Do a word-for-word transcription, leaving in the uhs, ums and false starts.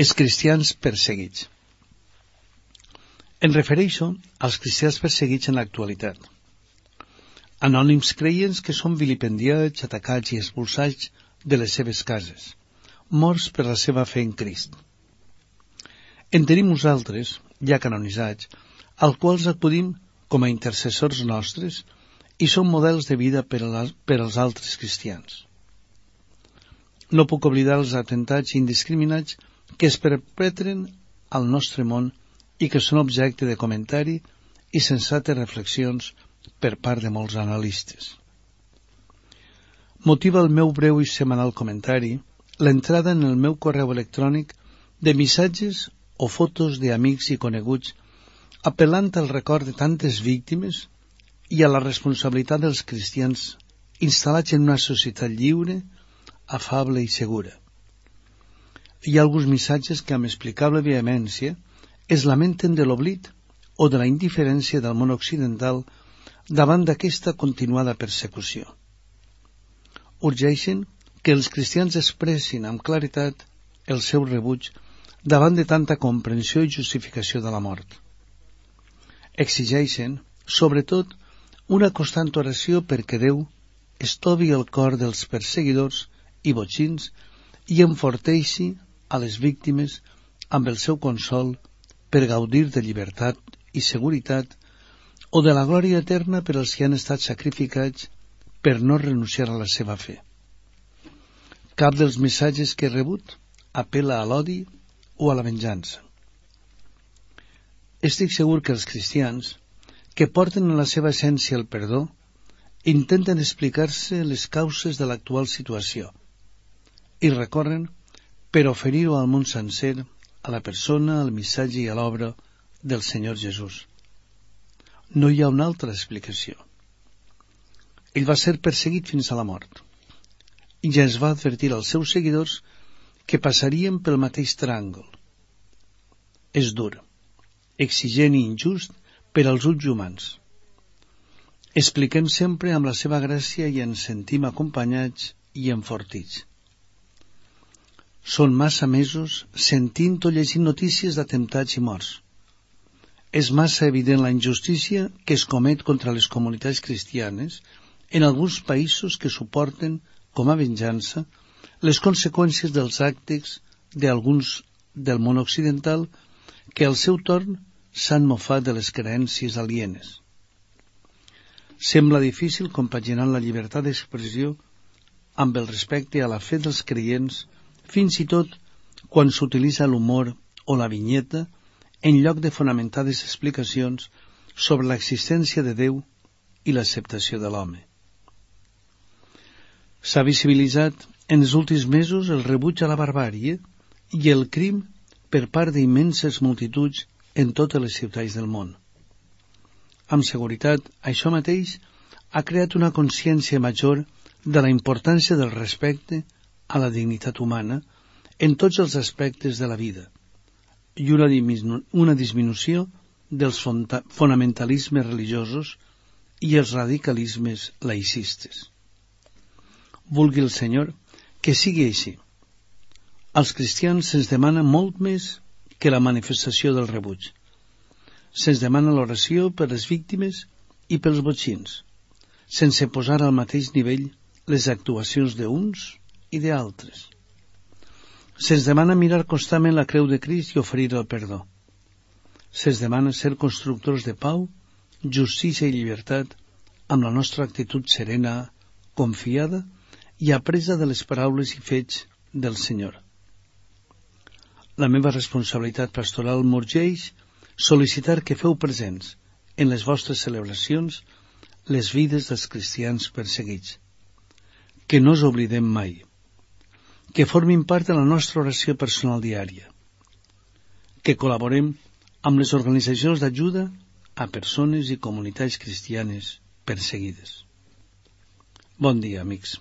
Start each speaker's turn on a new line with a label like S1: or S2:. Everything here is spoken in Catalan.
S1: Els cristians perseguits. Em refereixo als cristians perseguits en l'actualitat. Anònims creients que són vilipendiats, atacats i expulsats de les seves cases, morts per la seva fe en Crist. En tenim uns altres, ja canonitzats, als quals acudim com a intercessors nostres i són models de vida per, a, per als altres cristians. No puc oblidar els atemptats indiscriminats que es perpetren al nostre món i que són objecte de comentari i sensates reflexions per part de molts analistes. Motiva el meu breu i setmanal comentari l'entrada en el meu correu electrònic de missatges o fotos d'amics i coneguts apel·lant al record de tantes víctimes i a la responsabilitat dels cristians instal·lats en una societat lliure, afable i segura. Hi ha alguns missatges que amb explicable vehemència es lamenten de l'oblit o de la indiferència del món occidental davant d'aquesta continuada persecució. Urgeixen que els cristians expressin amb claretat el seu rebuig davant de tanta comprensió i justificació de la mort. Exigeixen, sobretot, una constant oració perquè Déu estovi el cor dels perseguidors i botxins i enforteixi a les víctimes amb el seu consol per gaudir de llibertat i seguretat o de la glòria eterna per als que han estat sacrificats per no renunciar a la seva fe. Cap dels missatges que he rebut apel·la a l'odi o a la venjança. Estic segur que els cristians, que porten en la seva essència el perdó, intenten explicar-se les causes de l'actual situació i recorren per oferir-ho al món sencer, a la persona, al missatge i a l'obra del Senyor Jesús. No hi ha una altra explicació. Ell va ser perseguit fins a la mort i ja es va advertir als seus seguidors que passarien pel mateix tràngol. És dur, exigent i injust per als ulls humans. Expliquem sempre amb la seva gràcia i ens sentim acompanyats i enfortits. Són massa mesos sentint o llegint notícies d'atemptats i morts. És massa evident la injustícia que es comet contra les comunitats cristianes en alguns països que suporten, com a venjança, les conseqüències dels actes d'alguns del món occidental que al seu torn s'han mofat de les creences alienes. Sembla difícil compaginar la llibertat d'expressió amb el respecte a la fe dels creients, fins i tot quan s'utilitza l'humor o la vinyeta en lloc de fonamentades explicacions sobre l'existència de Déu i l'acceptació de l'home. S'ha visibilitzat en els últims mesos el rebuig a la barbàrie i el crim per part d'immenses multituds en totes les ciutats del món. Amb seguretat, això mateix ha creat una consciència major de la importància del respecte a la dignitat humana en tots els aspectes de la vida i una, diminu una disminució dels fonamentalismes religiosos i els radicalismes laïcistes. Vulgui el Senyor que sigui així. Als cristians se'ns demana molt més que la manifestació del rebuig. Se'ns demana l'oració per les víctimes i pels botxins, sense posar al mateix nivell les actuacions d'uns i d'altres. Se'ns demana mirar constantment la creu de Crist i oferir el perdó. Se'ns demana ser constructors de pau, justícia i llibertat amb la nostra actitud serena, confiada i apresa de les paraules i fets del Senyor. La meva responsabilitat pastoral m'urgeix sol·licitar que feu presents en les vostres celebracions les vides dels cristians perseguits. Que no us oblidem mai. Que formin part de la nostra oració personal diària. Que col·laborem amb les organitzacions d'ajuda a persones i comunitats cristianes perseguides. Bon dia, amics.